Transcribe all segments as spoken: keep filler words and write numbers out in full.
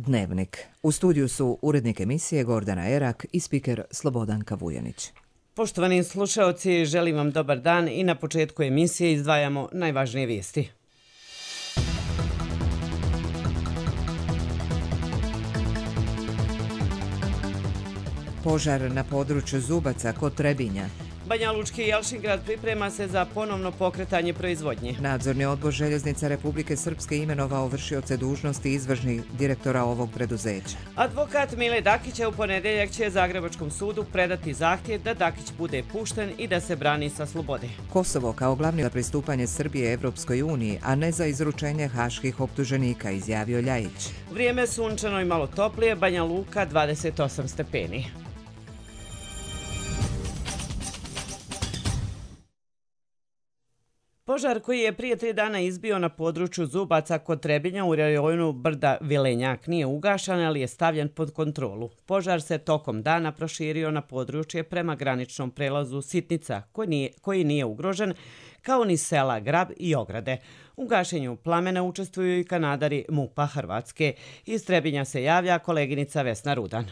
Dnevnik. U studiju su urednik emisije Gordana Erak i spiker Slobodanka Vujanić. Poštovani slušaoci, želim vam dobar dan i na početku emisije izdvajamo najvažnije vijesti. Požar na području Zubaca kod Trebinja. Banjalučki Jelšingrad priprema se za ponovno pokretanje proizvodnje. Nadzorni odbor Željeznica Republike Srpske imenovao vršioce dužnosti izvršnih direktora ovog preduzeća. Advokat Mile Dakića u ponedjeljak će Zagrebačkom sudu predati zahtjev da Dakić bude pušten i da se brani sa slobode. Kosovo kao glavni za pristupanje Srbije Evropskoj uniji, a ne za izručenje haških optuženika, izjavio Ljajić. Vrijeme sunčano i malo toplije, Banja Luka dvadeset osam stepeni. Požar koji je prije tri dana izbio na području Zubaca kod Trebinja u rajonu brda Vilenjak nije ugašan, ali je stavljen pod kontrolu. Požar se tokom dana proširio na područje prema graničnom prelazu Sitnica, koji nije, koji nije ugrožen, kao ni sela Grab i Ograde. U gašenju plamena učestvuju i kanadari MUP-a Hrvatske. Iz Trebinja se javlja koleginica Vesna Rudan.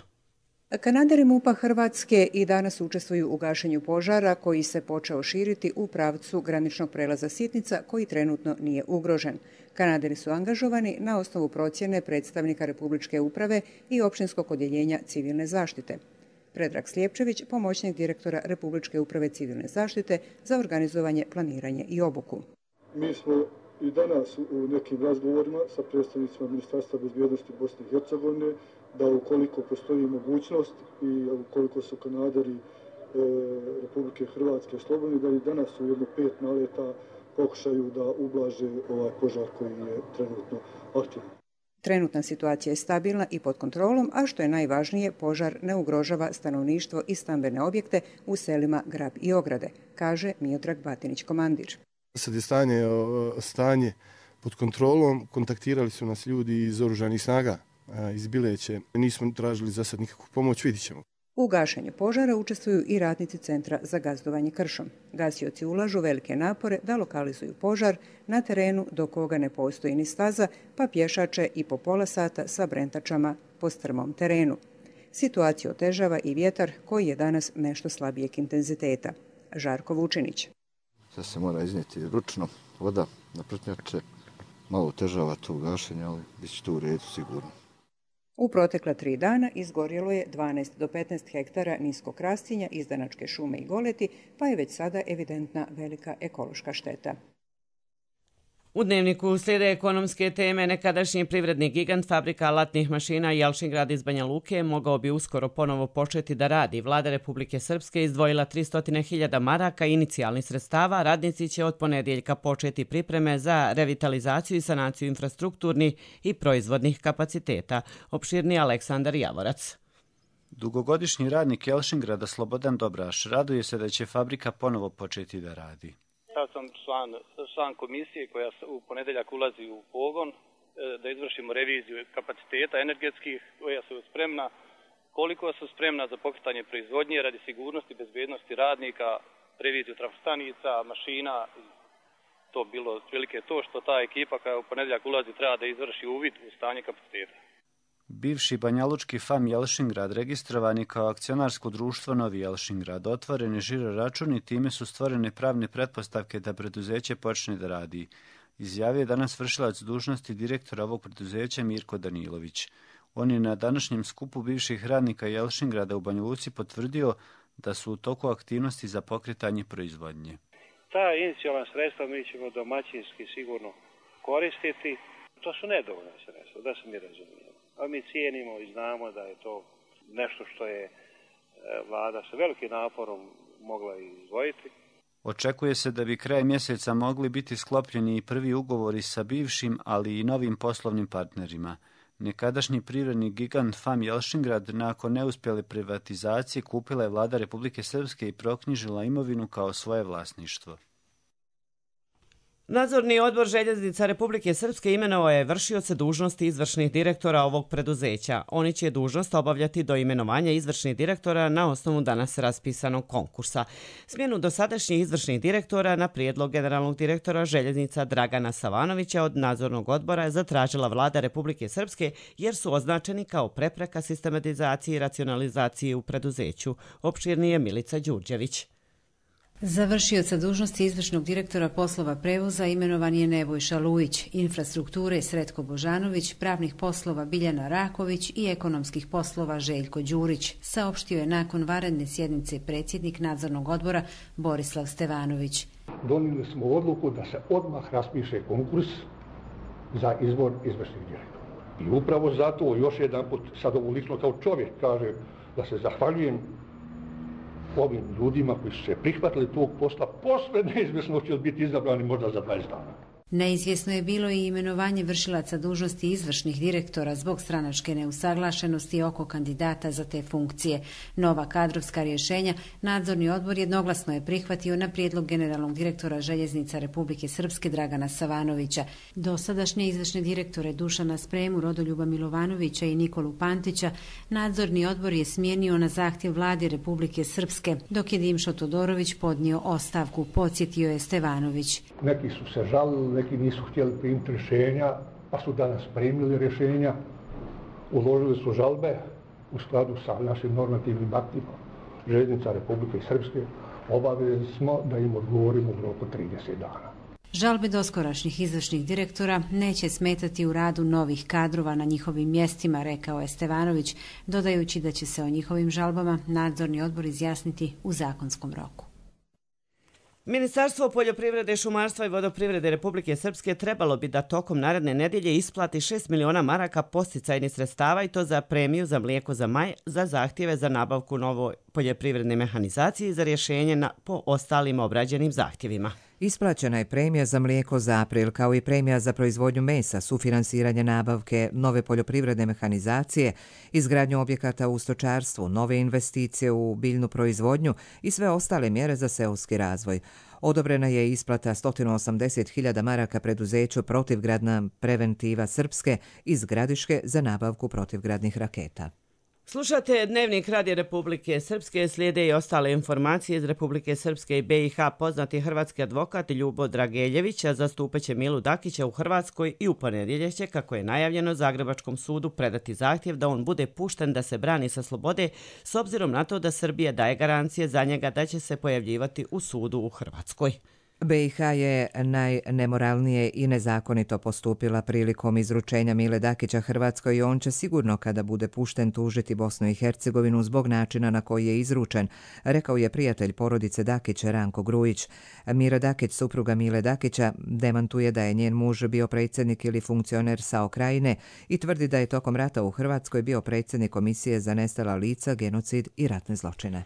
Kanadari MUP-a Hrvatske i danas učestvuju u gašenju požara koji se počeo širiti u pravcu graničnog prelaza Sitnica koji trenutno nije ugrožen. Kanadari su angažovani na osnovu procjene predstavnika Republičke uprave i općinskog odjeljenja civilne zaštite. Predrag Slijepčević, pomoćnik direktora Republičke uprave civilne zaštite za organizovanje, planiranje i obuku. Mi smo i danas u nekim razgovorima sa predstavnicima Ministarstva bezbjednosti Bosne i Hercegovine da ukoliko postoji mogućnost i ukoliko su kanadari e, Republike Hrvatske slobodni, da i danas u jedno pet naleta pokušaju da ublaže ovaj požar koji je trenutno aktivan. Trenutna situacija je stabilna i pod kontrolom, a što je najvažnije, požar ne ugrožava stanovništvo i stambene objekte u selima Grab i Ograde, kaže Miodrag Batinić, komandir. Sad je stanje, stanje pod kontrolom, kontaktirali su nas ljudi iz oružanih snaga, iz Bileće. Nismo tražili za sad nikakvu pomoć, vidit ćemo. U gašenju požara učestvuju i radnici Centra za gazdovanje kršom. Gasioci ulažu velike napore da lokalizuju požar na terenu do koga ne postoji ni staza, pa pješače i po pola sata sa brentačama po strmom terenu. Situaciju otežava i vjetar koji je danas nešto slabijeg intenziteta. Žarko Vučinić. Sad se mora iznijeti ručno, voda na prtnjače, malo otežava to gašenje, ali bit će to u redu sigurno. U protekla tri dana izgorjelo je dvanaest do petnaest hektara niskog rastinja, izdanačke šume i goleti, pa je već sada evidentna velika ekološka šteta. U Dnevniku slijede ekonomske teme. Nekadašnji privredni gigant fabrika alatnih mašina Jelšingrad iz Banja Luke mogao bi uskoro ponovo početi da radi. Vlada Republike Srpske izdvojila tristo hiljada maraka inicijalnih sredstava. Radnici će od ponedjeljka početi pripreme za revitalizaciju i sanaciju infrastrukturnih i proizvodnih kapaciteta. Opširni Aleksandar Javorac. Dugogodišnji radnik Jelšingrada Slobodan Dobraš raduje se da će fabrika ponovo početi da radi. Ja sam član, član komisije koja u ponedjeljak ulazi u pogon da izvršimo reviziju kapaciteta energetskih koja su spremna, koliko su spremna za pokretanje proizvodnje radi sigurnosti i bezbednosti radnika, reviziju trafostanica, mašina. To bilo otprilike to što ta ekipa koja u ponedjeljak ulazi treba da izvrši uvid u stanje kapaciteta. Bivši banjalučki F A M Jelšingrad registrovani kao akcionarsko društvo Novi Jelšingrad, otvoren je žiro račun i time su stvorene pravne pretpostavke da preduzeće počne da radi. Izjavio je danas vršilac dužnosti direktora ovog preduzeća Mirko Danilović. On je na današnjem skupu bivših radnika Jelšingrada u Banja Luci potvrdio da su u toku aktivnosti za pokretanje proizvodnje. Ta inicijalna sredstva mi ćemo domaćinski sigurno koristiti. To su nedovoljna sredstva, da se mi razumijemo. A mi cijenimo i znamo da je to nešto što je vlada sa velikim naporom mogla izdvojiti. Očekuje se da bi kraj mjeseca mogli biti sklopljeni i prvi ugovori sa bivšim, ali i novim poslovnim partnerima. Nekadašnji privredni gigant F A M Jelšingrad nakon neuspjele privatizacije kupila je vlada Republike Srpske i proknjižila imovinu kao svoje vlasništvo. Nadzorni odbor Željeznica Republike Srpske imenovao je vršioce dužnosti izvršnih direktora ovog preduzeća. Oni će dužnost obavljati do imenovanja izvršnih direktora na osnovu danas raspisanog konkursa. Smjenu dosadašnjih izvršnih direktora na prijedlog generalnog direktora Željeznica Dragana Savanovića od nadzornog odbora je zatražila vlada Republike Srpske jer su označeni kao prepreka sistematizaciji i racionalizaciji u preduzeću. Opširnije Milica Đurđević. Za vršioca dužnosti izvršnog direktora poslova prevoza imenovan je Nebojša Lujić, infrastrukture Sretko Božanović, pravnih poslova Biljana Raković i ekonomskih poslova Željko Đurić, saopštio je nakon vanredne sjednice predsjednik nadzornog odbora Borislav Stevanović. Donijeli smo odluku da se odmah raspiše konkurs za izbor izvršnih direktora. I upravo zato još jedan put, sad ovo lično kao čovjek kaže, da se zahvaljujem ovim ljudima koji su se prihvatili tog posla, posle neizvjesno će biti izabrani možda za dvadeset dana. Neizvjesno je bilo i imenovanje vršilaca dužnosti izvršnih direktora zbog stranačke neusaglašenosti oko kandidata za te funkcije. Nova kadrovska rješenja nadzorni odbor jednoglasno je prihvatio na prijedlog generalnog direktora Željeznica Republike Srpske Dragana Savanovića. Dosadašnje izvršne direktore Dušana Spremu, Rodoljuba Milovanovića i Nikolu Pantića nadzorni odbor je smijenio na zahtjev vladi Republike Srpske, dok je Dimšo Todorović podnio ostavku, podsjetio je Stevanović. Neki su se žalili, neki nisu htjeli primiti rješenja, pa su danas primili rješenja, uložili su žalbe u skladu sa našim normativnim aktima Željeznica Republike Srpske. Obavezni smo da im odgovorimo u roku trideset dana. Žalbe doskorašnjih izvršnih direktora neće smetati u radu novih kadrova na njihovim mjestima, rekao je Stevanović, dodajući da će se o njihovim žalbama nadzorni odbor izjasniti u zakonskom roku. Ministarstvo poljoprivrede, šumarstva i vodoprivrede Republike Srpske trebalo bi da tokom naredne nedjelje isplati šest miliona maraka posticajnih sredstava i to za premiju za mlijeko za maj, za zahtjeve za nabavku novoj poljoprivredne mehanizacije i za rješenje na, po ostalim obrađenim zahtjevima. Isplaćena je premija za mlijeko za april, kao i premija za proizvodnju mesa, sufinansiranje nabavke nove poljoprivredne mehanizacije, izgradnju objekata u stočarstvu, nove investicije u biljnu proizvodnju i sve ostale mjere za seoski razvoj. Odobrena je isplata sto osamdeset hiljada maraka preduzeću Protivgradna preventiva Srpske iz Gradiške za nabavku protivgradnih raketa. Slušate Dnevnik Radija Republike Srpske, slijede i ostale informacije iz Republike Srpske i B i H. Poznati hrvatski advokat Ljubo Drageljević zastupaće Milu Dakića u Hrvatskoj i u ponedjeljak će, kako je najavljeno, Zagrebačkom sudu predati zahtjev da on bude pušten da se brani sa slobode, s obzirom na to da Srbija daje garancije za njega da će se pojavljivati u sudu u Hrvatskoj. B i H je najnemoralnije i nezakonito postupila prilikom izručenja Mile Dakića Hrvatskoj i on će sigurno kada bude pušten tužiti Bosnu i Hercegovinu zbog načina na koji je izručen, rekao je prijatelj porodice Dakića Ranko Grujić. Mira Dakić, supruga Mile Dakića, demantuje da je njen muž bio predsjednik ili funkcioner SAO Krajine i tvrdi da je tokom rata u Hrvatskoj bio predsjednik Komisije za nestala lica, genocid i ratne zločine.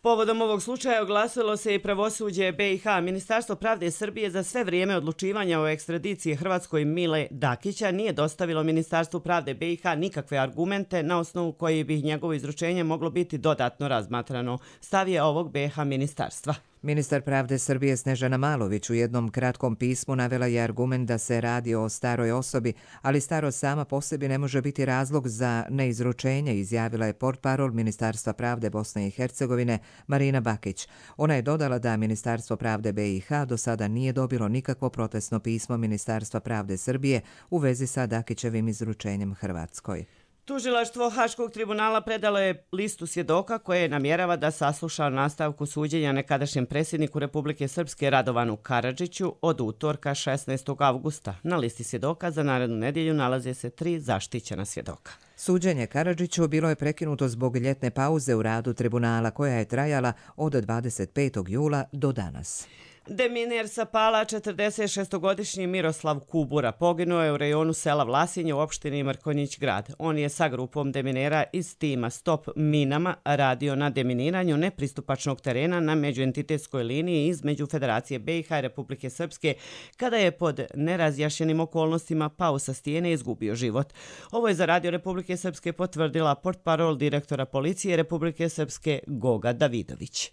Povodom ovog slučaja oglasilo se i pravosuđe B i H. Ministarstvo pravde Srbije za sve vrijeme odlučivanja o ekstradiciji Hrvatskoj Mile Dakića nije dostavilo Ministarstvu pravde B i H nikakve argumente na osnovu koji bi njegovo izručenje moglo biti dodatno razmatrano, stav je ovog B i H ministarstva. Ministar pravde Srbije Snežana Malović u jednom kratkom pismu navela je argument da se radi o staroj osobi, ali starost sama po sebi ne može biti razlog za neizručenje, izjavila je portparol Ministarstva pravde Bosne i Hercegovine Marina Bakić. Ona je dodala da Ministarstvo pravde B i H do sada nije dobilo nikakvo protestno pismo Ministarstva pravde Srbije u vezi sa Dakićevim izručenjem Hrvatskoj. Tužilaštvo Haškog tribunala predalo je listu svjedoka koje namjerava da sasluša nastavku suđenja nekadašnjem predsjedniku Republike Srpske Radovanu Karadžiću od utorka šesnaestog avgusta. Na listi svjedoka za narednu nedjelju nalaze se tri zaštićena svjedoka. Suđenje Karadžiću bilo je prekinuto zbog ljetne pauze u radu tribunala koja je trajala od dvadeset petog jula do danas. Deminer sa Pala, četrdesetšestogodišnji Miroslav Kubura, poginuo je u rejonu sela Vlasinje u opštini Mrkonjić grad. On je sa grupom deminera iz tima Stop minama radio na deminiranju nepristupačnog terena na međuentitetskoj liniji između Federacije B i H i Republike Srpske, kada je pod nerazjašnjenim okolnostima pao sa stijene i izgubio život. Ovo je za Radio Republike Srpske potvrdila portparol direktora policije Republike Srpske Goga Davidović.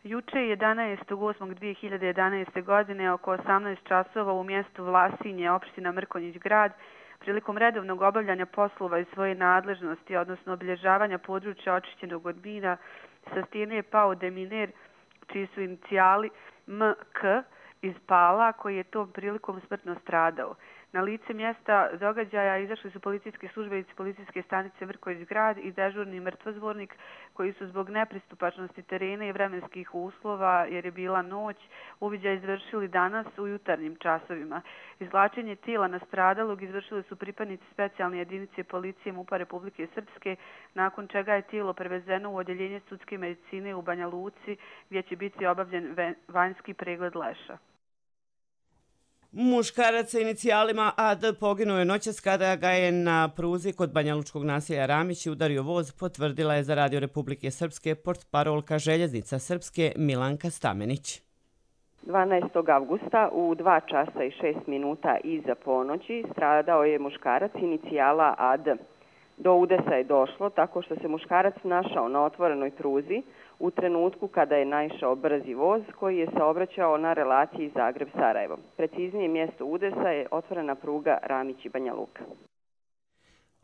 Juče jedanaestog osmog dvije hiljade jedanaeste. godine oko osamnaest časova u mjestu Vlasinje, opština Mrkonjić grad, prilikom redovnog obavljanja poslova iz svoje nadležnosti, odnosno obilježavanja područja očišćenog od mina, sa stijene je pao deminer čiji su inicijali M K iz Pala, koji je tom prilikom smrtno stradao. Na lice mjesta događaja izašli su policijski službenici policijske stanice Mrkonjić grad i dežurni mrtvozbornik koji su zbog nepristupačnosti terena i vremenskih uslova, jer je bila noć, uviđaj izvršili danas u jutarnjim časovima. Izvlačenje tijela nastradalog izvršili su pripadnici specijalne jedinice policije MUP-a Republike Srpske, nakon čega je tijelo prevezeno u odjeljenje sudske medicine u Banja Luci, gdje će biti obavljen vanjski pregled leša. Muškarac sa inicijalima A D poginuo je noćas kada ga je na pruzi kod banjalučkog naselja Ramići udario voz, potvrdila je za Radio Republike Srpske portparolka Željeznica Srpske Milanka Stamenić. dvanaestog avgusta u dva časa i šest minuta iza ponoći stradao je muškarac inicijala A D. Do udesa je došlo tako što se muškarac našao na otvorenoj pruzi u trenutku kada je naišao brzi voz koji je saobraćao na relaciji Zagreb-Sarajevo. Preciznije mjesto udesa je otvorena pruga Ramići-Banja Luka.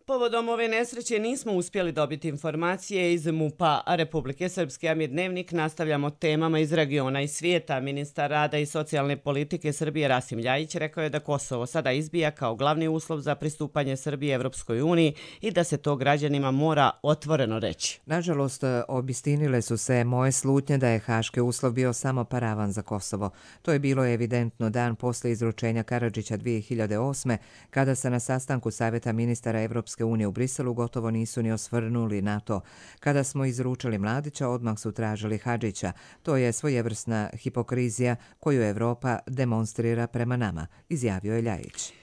Povodom ove nesreće nismo uspjeli dobiti informacije iz MUP-a Republike Srpske, a mi Dnevnik nastavljamo temama iz regiona i svijeta. Ministar rada i socijalne politike Srbije Rasim Ljajić rekao je da Kosovo sada izbija kao glavni uslov za pristupanje Srbije Evropskoj uniji i da se to građanima mora otvoreno reći. Nažalost, obistinile su se moje slutnje da je haški uslov bio samo paravan za Kosovo. To je bilo evidentno dan posle izručenja Karadžića dvije hiljade osme. kada se na sastanku Savjeta ministara Evropske unije u Briselu gotovo nisu ni osvrnuli na to. Kada smo izručili Mladića, odmah su tražili Hadžića. To je svojevrsna hipokrizija koju Evropa demonstrira prema nama, izjavio je Ljajić.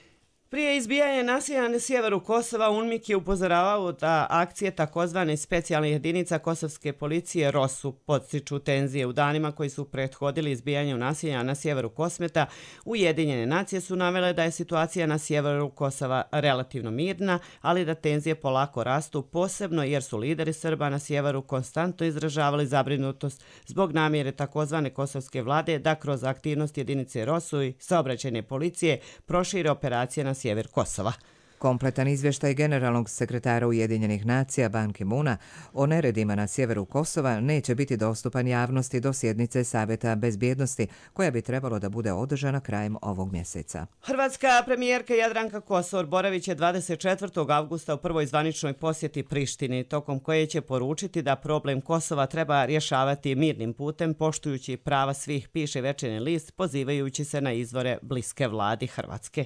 Prije izbijanja nasilja na sjeveru Kosova, UNMIK je upozoravao da akcije takozvane specijalne jedinica kosovske policije ROSU podstiču tenzije. U danima koji su prethodili izbijanju nasilja na sjeveru Kosmeta, Ujedinjene nacije su navele da je situacija na sjeveru Kosova relativno mirna, ali da tenzije polako rastu, posebno jer su lideri Srba na sjeveru konstantno izražavali zabrinutost zbog namjere takozvane kosovske vlade da kroz aktivnost jedinice ROSU i saobraćajne policije prošire operacije na sjever Kosova. Kompletan izvještaj generalnog sekretara Ujedinjenih nacija Ban Ki-moona o neredima na sjeveru Kosova neće biti dostupan javnosti do sjednice Savjeta bezbjednosti, koja bi trebalo da bude održana krajem ovog mjeseca. Hrvatska premijerka Jadranka Kosor boravit je dvadeset četvrtog avgusta u prvoj zvaničnoj posjeti Prištini, tokom koje će poručiti da problem Kosova treba rješavati mirnim putem, poštujući prava svih, piše Večernji list, pozivajući se na izvore bliske vladi Hrvatske.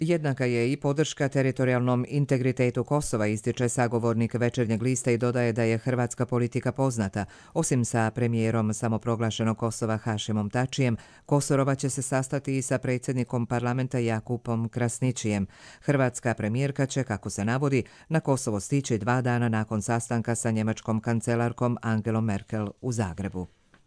Jednaka je i podrška teritorijalnom integritetu Kosova, ističe sagovornik Večernjeg lista i dodaje da je hrvatska politika poznata. Osim sa premijerom samoproglašenog Kosova Hašimom Tačijem, Kosorova će se sastati i sa predsjednikom parlamenta Jakupom Krasničijem. Hrvatska premijerka će, kako se navodi, na Kosovo stići dva dana nakon sastanka sa njemačkom kancelarkom Angelom Merkel u Zagrebu.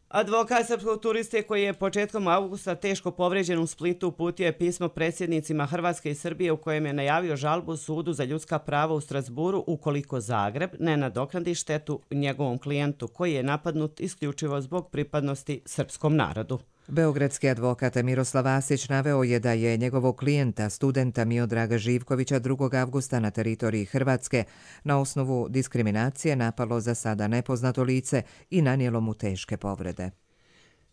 Advokat srpskog turiste koji je početkom avgusta teško povrijeđen u Splitu uputio je pismo predsjednicima Hrvatske i Srbije u kojem je najavio žalbu sudu za ljudska prava u Strasburu ukoliko Zagreb ne nadoknadi štetu njegovom klijentu koji je napadnut isključivo zbog pripadnosti srpskom narodu. Beogradski advokat Miroslav Asić naveo je da je njegovog klijenta, studenta Miodraga Živkovića, drugog avgusta na teritoriji Hrvatske na osnovu diskriminacije napalo za sada nepoznato lice i nanijelo mu teške povrede.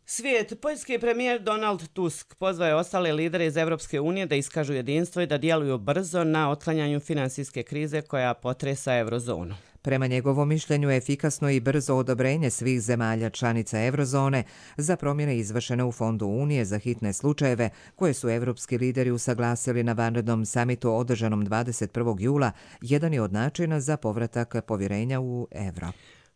Svijet. Poljski premijer Donald Tusk pozvao je ostale lidere iz Evropske unije da iskažu jedinstvo i da djeluju brzo na otklanjanju finansijske krize koja potresa eurozonu. Prema njegovom mišljenju je efikasno i brzo odobrenje svih zemalja članica eurozone za promjene izvršene u Fondu Unije za hitne slučajeve koje su evropski lideri usaglasili na vanrednom samitu održanom dvadeset prvog jula, jedan je od načina za povratak povjerenja u evro.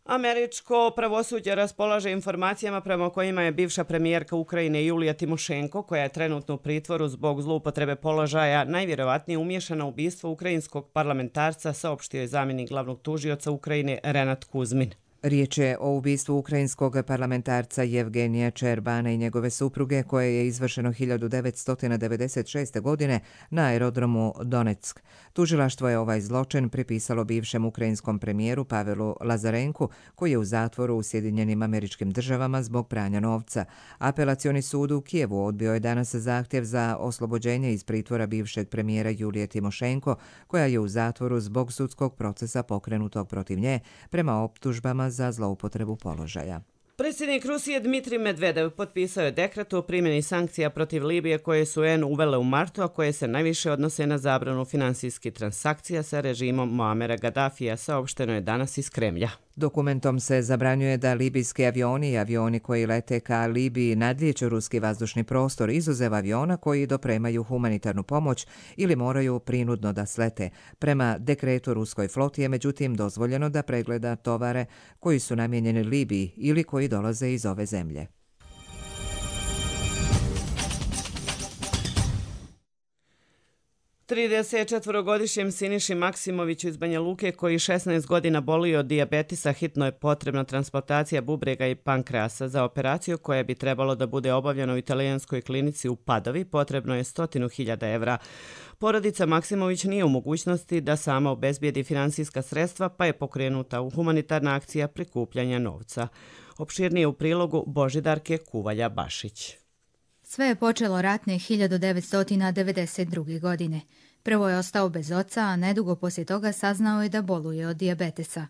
Američko pravosuđe raspolaže informacijama prema kojima je bivša premijerka Ukrajine Julija Timošenko, koja je trenutno u pritvoru zbog zloupotrebe položaja, najvjerovatnije umiješana u ubistvo ukrajinskog parlamentarca, saopštio je zamjenik glavnog tužioca Ukrajine Renat Kuzmin. Riječ je o ubistvu ukrajinskog parlamentarca Jevgenija Čerbana i njegove supruge koje je izvršeno hiljadu devetsto devedeset šeste. godine na aerodromu Donetsk. Tužilaštvo je ovaj zločin pripisalo bivšem ukrajinskom premijeru Pavelu Lazarenku koji je u zatvoru u Sjedinjenim Američkim Državama zbog pranja novca. Apelacioni sud u Kijevu odbio je danas zahtjev za oslobođenje iz pritvora bivšeg premijera Julije Timošenko koja je u zatvoru zbog sudskog procesa pokrenutog protiv nje prema optužbama za zloupotrebu položaja. Predsjednik Rusije Dmitrij Medvedev potpisao je dekret o primjeni sankcija protiv Libije koje su U N uvele u martu, a koje se najviše odnose na zabranu finansijskih transakcija sa režimom Muamera Gaddafija, saopšteno je danas iz Kremlja. Dokumentom se zabranjuje da libijski avioni i avioni koji lete ka Libiji nadlijeću ruski vazdušni prostor izuzev aviona koji dopremaju humanitarnu pomoć ili moraju prinudno da slete. Prema dekretu ruskoj floti je međutim dozvoljeno da pregleda tovare koji su namijenjeni Libiji ili koji dolaze iz ove zemlje. tridesetčetvorogodišnjem Siniši Maksimoviću iz Banja Luke koji šesnaest godina boluje od dijabetisa hitno je potrebna transplantacija bubrega i pankreasa. Za operaciju koja bi trebalo da bude obavljena u italijanskoj klinici u Padovi potrebno je stotinu hiljada evra. Porodica Maksimović nije u mogućnosti da sama obezbijedi finansijska sredstva pa je pokrenuta u humanitarna akcija prikupljanja novca. Opširnije u prilogu Božidarke Kuvalja-Bašić. Sve je počelo ratne hiljadu devetsto devedeset druge. godine. Prvo je ostao bez oca, a nedugo poslije toga saznao je da boluje od dijabetesa.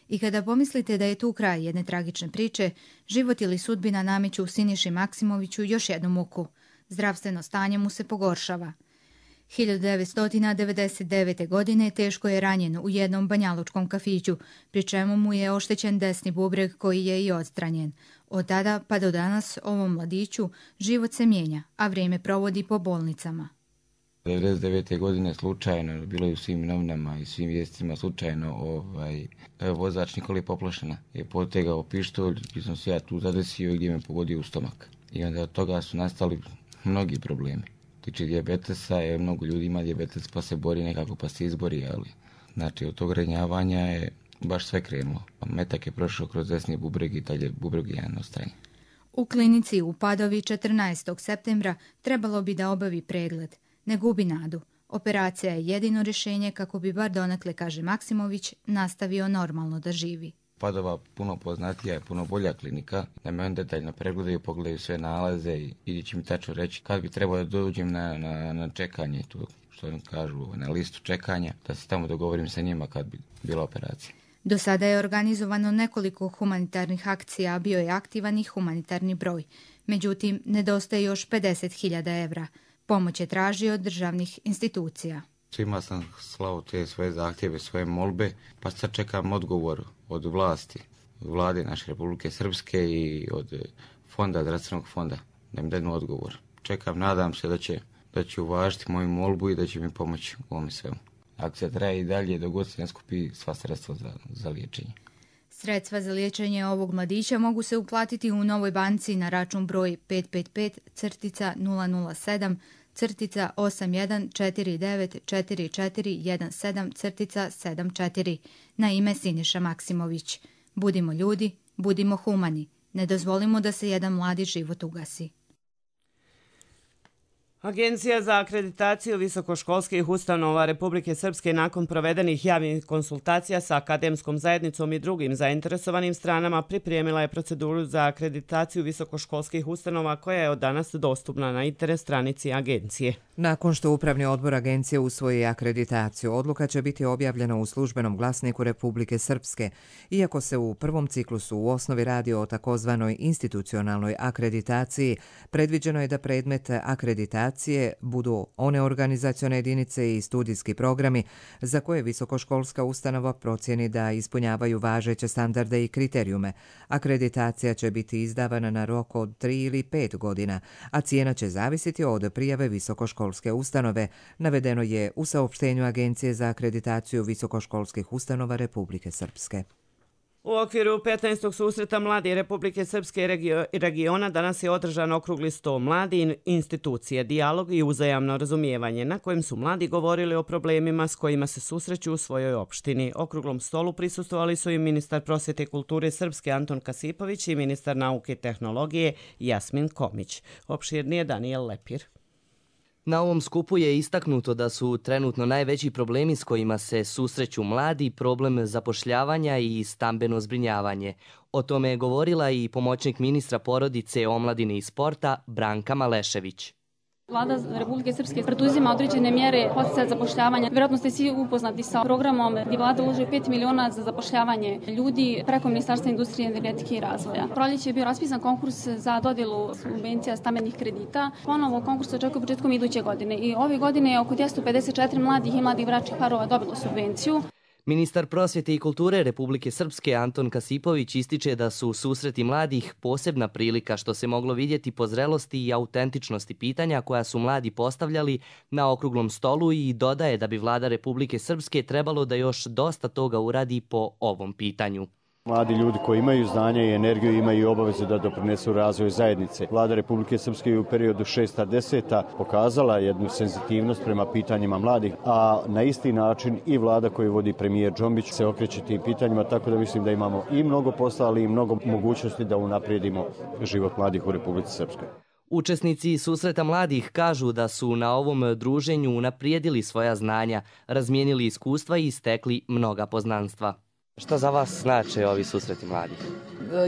I kada pomislite da je tu kraj jedne tragične priče, život ili sudbina nameću Siniši Maksimoviću još jednu muku. Zdravstveno stanje mu se pogoršava. hiljadu devetsto devedeset devete. godine teško je ranjen u jednom banjalučkom kafiću, pri čemu mu je oštećen desni bubreg koji je i odstranjen. Od tada pa do danas ovom mladiću život se mijenja, a vrijeme provodi po bolnicama. devedeset devete. godine slučajno, bilo je u svim novinama i svim vijestima slučajno, ovaj, vozač Nikoli Poplašena je potegao pištolj i sam se ja tu zadesio gdje me pogodio u stomak. I onda od toga su nastali mnogi problemi. Tiče dijabetesa, je mnogo ljudi ima dijabetes pa se bori nekako pa se izbori, ali znači od tog ranjavanja je baš sve krenulo. Metak je prošao kroz desni bubreg i dalje bubreg je jedan ostranjen. U klinici u Padovi četrnaestog septembra trebalo bi da obavi pregled. Ne gubi nadu. Operacija je jedino rješenje kako bi bar donekle, kaže Maksimović, nastavio normalno da živi. Padova puno poznatija je, puno bolja klinika, da me on detaljno pregledaju, pogledaju sve nalaze i ili će mi tačno reći kad bi trebao da dođem na, na, na čekanje, tu, što oni kažu, na listu čekanja, da se tamo dogovorim sa njima kad bi bila operacija. Do sada je organizovano nekoliko humanitarnih akcija, a bio je aktivan i humanitarni broj. Međutim, nedostaje još pedeset hiljada evra. Pomoć je tražio od državnih institucija. Svima sam slao te svoje zahtjeve, svoje molbe, pa sad čekam odgovor od vlasti, od vlade naše Republike Srpske i od fonda, zdravstvenog fonda, da mi daju odgovor. Čekam, nadam se da će, da će uvažiti moju molbu i da će mi pomoći u ovome svemu. Akcija traje i dalje dok god se ne skupi sva sredstva za, za liječenje. Sredstva za liječenje ovog mladića mogu se uplatiti u Novoj banci na račun broj pet pet pet nula nula sedam osam jedan četiri devet četiri četiri jedan sedam sedam četiri na ime Siniša Maksimović. Budimo ljudi, budimo humani. Ne dozvolimo da se jedan mladi život ugasi. Agencija za akreditaciju visokoškolskih ustanova Republike Srpske nakon provedenih javnih konsultacija sa akademskom zajednicom i drugim zainteresovanim stranama pripremila je proceduru za akreditaciju visokoškolskih ustanova koja je od danas dostupna na internet stranici agencije. Nakon što Upravni odbor agencije usvoji akreditaciju, odluka će biti objavljena u službenom glasniku Republike Srpske. Iako se u prvom ciklusu u osnovi radi o takozvanoj institucionalnoj akreditaciji, predviđeno je da predmet akreditacije budu one organizacione jedinice i studijski programi za koje visokoškolska ustanova procjeni da ispunjavaju važeće standarde i kriterijume. Akreditacija će biti izdavana na rok od tri ili pet godina, a cijena će zavisiti od prijave visokoškolske ustanove, navedeno je u saopštenju Agencije za akreditaciju visokoškolskih ustanova Republike Srpske. U okviru petnaestog susreta Mladi Republike Srpske i regiona danas je održan okrugli sto mladi institucije, dijalog i uzajamno razumijevanje, na kojem su mladi govorili o problemima s kojima se susreću u svojoj opštini. Okruglom stolu prisustvovali su i ministar prosvjete i kulture Srpske Anton Kasipović i ministar nauke i tehnologije Jasmin Komić. Opširnije Danijel Lepir. Na ovom skupu je istaknuto da su trenutno najveći problemi s kojima se susreću mladi problem zapošljavanja i stambeno zbrinjavanje. O tome je govorila i pomoćnik ministra porodice, omladine i sporta Branka Malešević. Vlada Republike Srpske preduzima određene mjere podsticaja zapošljavanja. Vjerojatno ste svi upoznati sa programom gdje vlada ulaže pet miliona za zapošljavanje ljudi preko Ministarstva industrije, energetike i razvoja. Proljeće je bio raspisan konkurs za dodjelu subvencija stambenih kredita. Ponovo konkurs se očekuje početkom iduće godine i ove godine je oko dvjesto pedeset četiri mladih i mladih bračnih parova dobilo subvenciju. Ministar prosvjete i kulture Republike Srpske Anton Kasipović ističe da su susreti mladih posebna prilika što se moglo vidjeti po zrelosti i autentičnosti pitanja koja su mladi postavljali na okruglom stolu i dodaje da bi vlada Republike Srpske trebalo da još dosta toga uradi po ovom pitanju. Mladi ljudi koji imaju znanja i energiju imaju i obaveze da doprinesu razvoju zajednice. Vlada Republike Srpske u periodu šesta deseta pokazala jednu senzitivnost prema pitanjima mladih, a na isti način i vlada koju vodi premijer Džombić se okreće tim pitanjima, tako da mislim da imamo i mnogo posla, ali i mnogo mogućnosti da unaprijedimo život mladih u Republici Srpskoj. Učesnici susreta mladih kažu da su na ovom druženju unaprijedili svoja znanja, razmijenili iskustva i stekli mnoga poznanstva. Šta za vas znače ovi susreti mladih?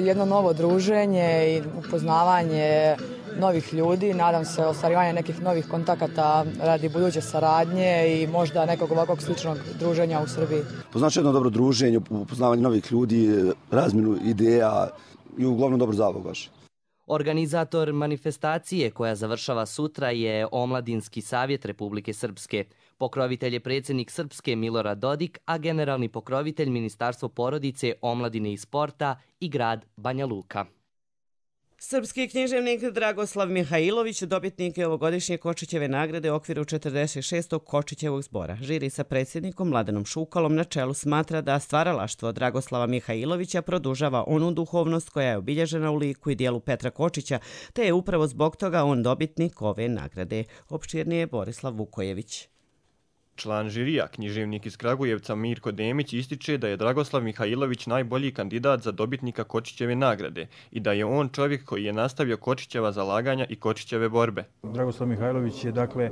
Jedno novo druženje i upoznavanje novih ljudi, nadam se ostvarivanje nekih novih kontakata radi buduće saradnje i možda nekog ovakvog sličnog druženja u Srbiji. Poznače jedno dobro druženje, upoznavanje novih ljudi, razmjenu ideja i uglavnom dobro zabavu baš. Organizator manifestacije koja završava sutra je Omladinski savjet Republike Srpske. Pokrovitelj je predsjednik Srpske Milorad Dodik, a generalni pokrovitelj Ministarstvo porodice, omladine i sporta i grad Banja Luka. Srpski književnik Dragoslav Mihajlović dobitnik je ovogodišnje Kočićeve nagrade u okviru četrdeset šestog Kočićevog zbora. Žiri sa predsjednikom Mladenom Šukalom na čelu smatra da stvaralaštvo Dragoslava Mihajlovića produžava onu duhovnost koja je obilježena u liku i dijelu Petra Kočića, te je upravo zbog toga on dobitnik ove nagrade. Opširnije je Borislav Vukojević. Član žirija, književnik iz Kragujevca Mirko Demić ističe da je Dragoslav Mihajlović najbolji kandidat za dobitnika Kočićeve nagrade i da je on čovjek koji je nastavio Kočićeva zalaganja i Kočićeve borbe. Dragoslav Mihajlović je dakle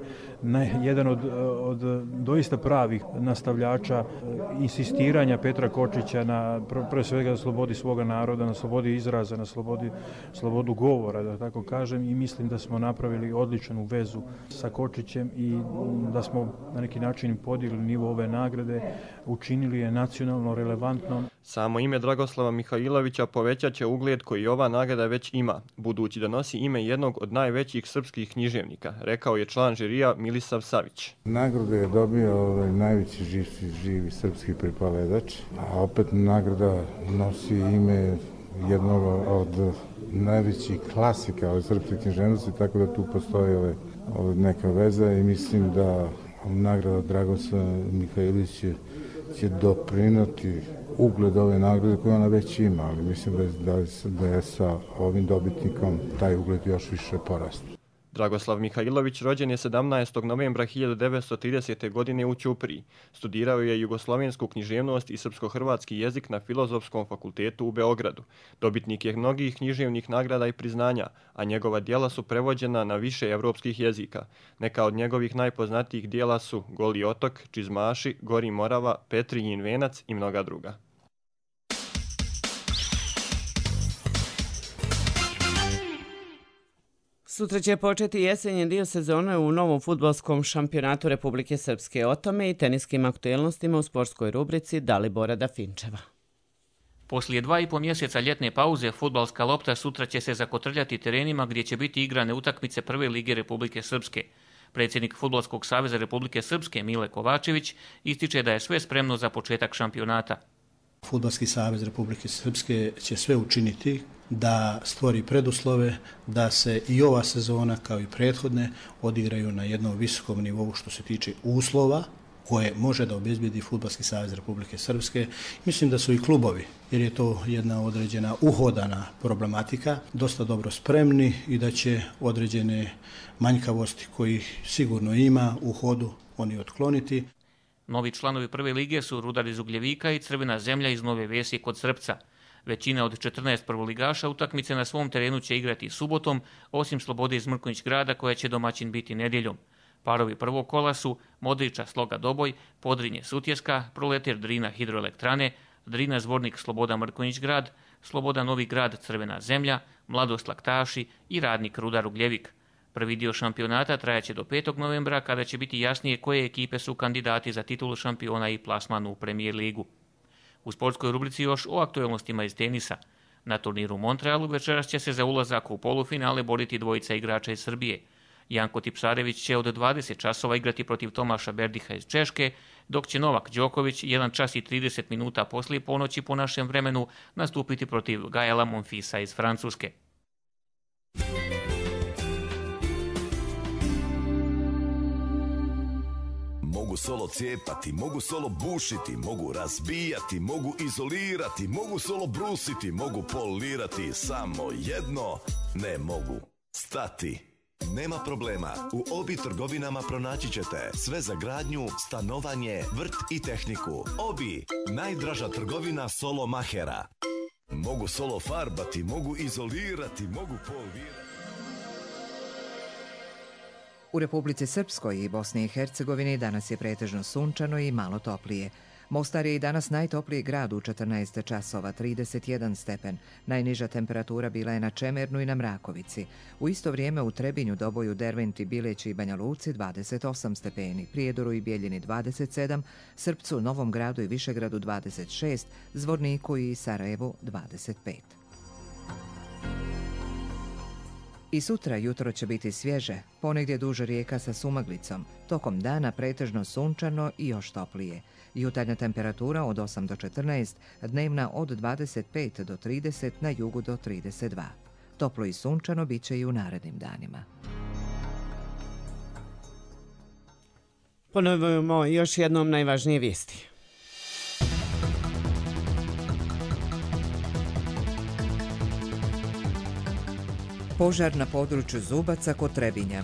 jedan od, od doista pravih nastavljača insistiranja Petra Kočića na pre svega na slobodi svoga naroda, na slobodi izraza, na slobodi, slobodu govora, da tako kažem, i mislim da smo napravili odličnu vezu sa Kočićem i da smo na neki način način podigli nivo ove nagrade, učinili je nacionalno relevantnom. Samo ime Dragoslava Mihajlovića povećat će ugled koji ova nagrada već ima, budući da nosi ime jednog od najvećih srpskih književnika, rekao je član žirija Milisav Savić. Nagradu je dobio ovaj najveći živ, živi srpski pripaledač, a opet nagrada nosi ime jednog od najvećih klasika ove srpske književnosti, tako da tu postoji ove, ove neka veza i mislim da nagrada Dragoslava Mihajlovića će doprinoti ugled ove nagrade koje ona već ima, ali mislim da je, da je sa ovim dobitnikom taj ugled još više porastao. Dragoslav Mihajlović rođen je sedamnaestog novembra hiljadu devetsto tridesete. godine u Ćupriji. Studirao je jugoslovensku književnost i srpsko-hrvatski jezik na Filozofskom fakultetu u Beogradu. Dobitnik je mnogih književnih nagrada i priznanja, a njegova djela su prevođena na više evropskih jezika. Neka od njegovih najpoznatijih djela su Goli otok, Čizmaši, Gori Morava, Petrijin venac i mnoga druga. Sutra će početi jesenji dio sezone u novom fudbalskom šampionatu Republike Srpske. O tome i teniskim aktuelnostima u sportskoj rubrici Dalibora Dafinčeva. Poslije dva i po mjeseca ljetne pauze, fudbalska lopta sutra će se zakotrljati terenima gdje će biti igrane utakmice Prve lige Republike Srpske. Predsjednik Fudbalskog saveza Republike Srpske Mile Kovačević ističe da je sve spremno za početak šampionata. Fudbalski savez Republike Srpske će sve učiniti da stvori preduslove da se i ova sezona kao i prethodne odigraju na jednom visokom nivou što se tiče uslova koje može da obezbijedi Fudbalski savez Republike Srpske. Mislim da su i klubovi, jer je to jedna određena uhodana problematika, dosta dobro spremni i da će određene manjkavosti kojih sigurno ima u hodu oni otkloniti. Novi članovi prve lige su Rudar iz Ugljevika i Crvena zemlja iz Nove Vesi kod Srpca. Većina od četrnaest prvoligaša utakmice na svom terenu će igrati subotom, osim Slobode iz Mrkonjić Grada koja će domaćin biti nedjeljom. Parovi prvog kola su Modriča Sloga Doboj, Podrinje Sutjeska, Proletar Drina Hidroelektrane, Drina Zvornik Sloboda Mrkonjić Grad, Sloboda Novi Grad Crvena zemlja, Mladost Laktaši i Radnik Rudar Ugljevik. Prvi dio šampionata trajaće do petog novembra kada će biti jasnije koje ekipe su kandidati za titulu šampiona i plasman u Premier ligu. U sportskoj rubrici još o aktualnostima iz tenisa. Na turniru u Montrealu večeras će se za ulazak u polufinale boriti dvojica igrača iz Srbije. Janko Tipsarević će od dvadeset časova igrati protiv Tomaša Berdiha iz Češke, dok će Novak Đoković jedan čas i trideset minuta poslije ponoći po našem vremenu nastupiti protiv Gaela Monfisa iz Francuske. Mogu solo cijepati, mogu solo bušiti, mogu razbijati, mogu izolirati, mogu solo brusiti, mogu polirati, samo jedno ne mogu stati. Nema problema, u Obi trgovinama pronaći ćete sve za gradnju, stanovanje, vrt i tehniku. Obi, najdraža trgovina solo mahera. Mogu solo farbati, mogu izolirati, mogu polirati. U Republici Srpskoj i Bosni i Hercegovini danas je pretežno sunčano i malo toplije. Mostar je i danas najtopliji grad u četrnaest časova, trideset jedan stepen. Najniža temperatura bila je na Čemernu i na Mrakovici. U isto vrijeme u Trebinju, Doboju, Derventi, Bileći i Banja Luci dvadeset osam stepeni, Prijedoru i Bijeljini dvadeset sedam, Srpcu, Novom Gradu i Višegradu dvadeset šest, Zvorniku i Sarajevu dvadeset pet. I sutra jutro će biti svježe, ponegdje duže rijeka sa sumaglicom, tokom dana pretežno sunčano i još toplije. Jutarnja temperatura od osam do četrnaest, dnevna od dvadeset pet do trideset, na jugu do trideset dva. Toplo i sunčano bit će i u narednim danima. Ponovimo još jednom najvažnije vijesti. Požar na području Zubaca kod Trebinja.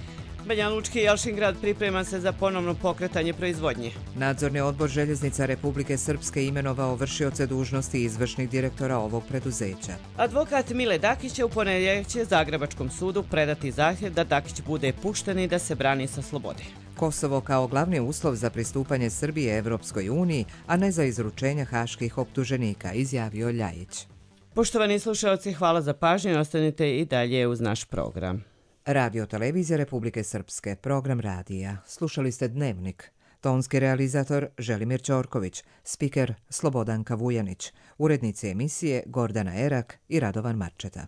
Banja Lučki i Jelšingrad priprema se za ponovno pokretanje proizvodnje. Nadzorni odbor Željeznica Republike Srpske imenovao vršioce dužnosti izvršnih direktora ovog preduzeća. Advokat Mile Dakić će u ponedjeljak će Zagrebačkom sudu predati zahtjev da Dakić bude pušten i da se brani sa slobode. Kosovo kao glavni uslov za pristupanje Srbije Evropskoj uniji, a ne za izručenje haških optuženika, izjavio Ljajić. Poštovani slušalci, hvala za pažnju i ostanite i dalje uz naš program. Radio Televizija Republike Srpske, program radija. Slušali ste Dnevnik. Tonski realizator Želimir Ćorković, spiker Slobodanka Vujanić, urednici emisije Gordana Erak i Radovan Marčeta.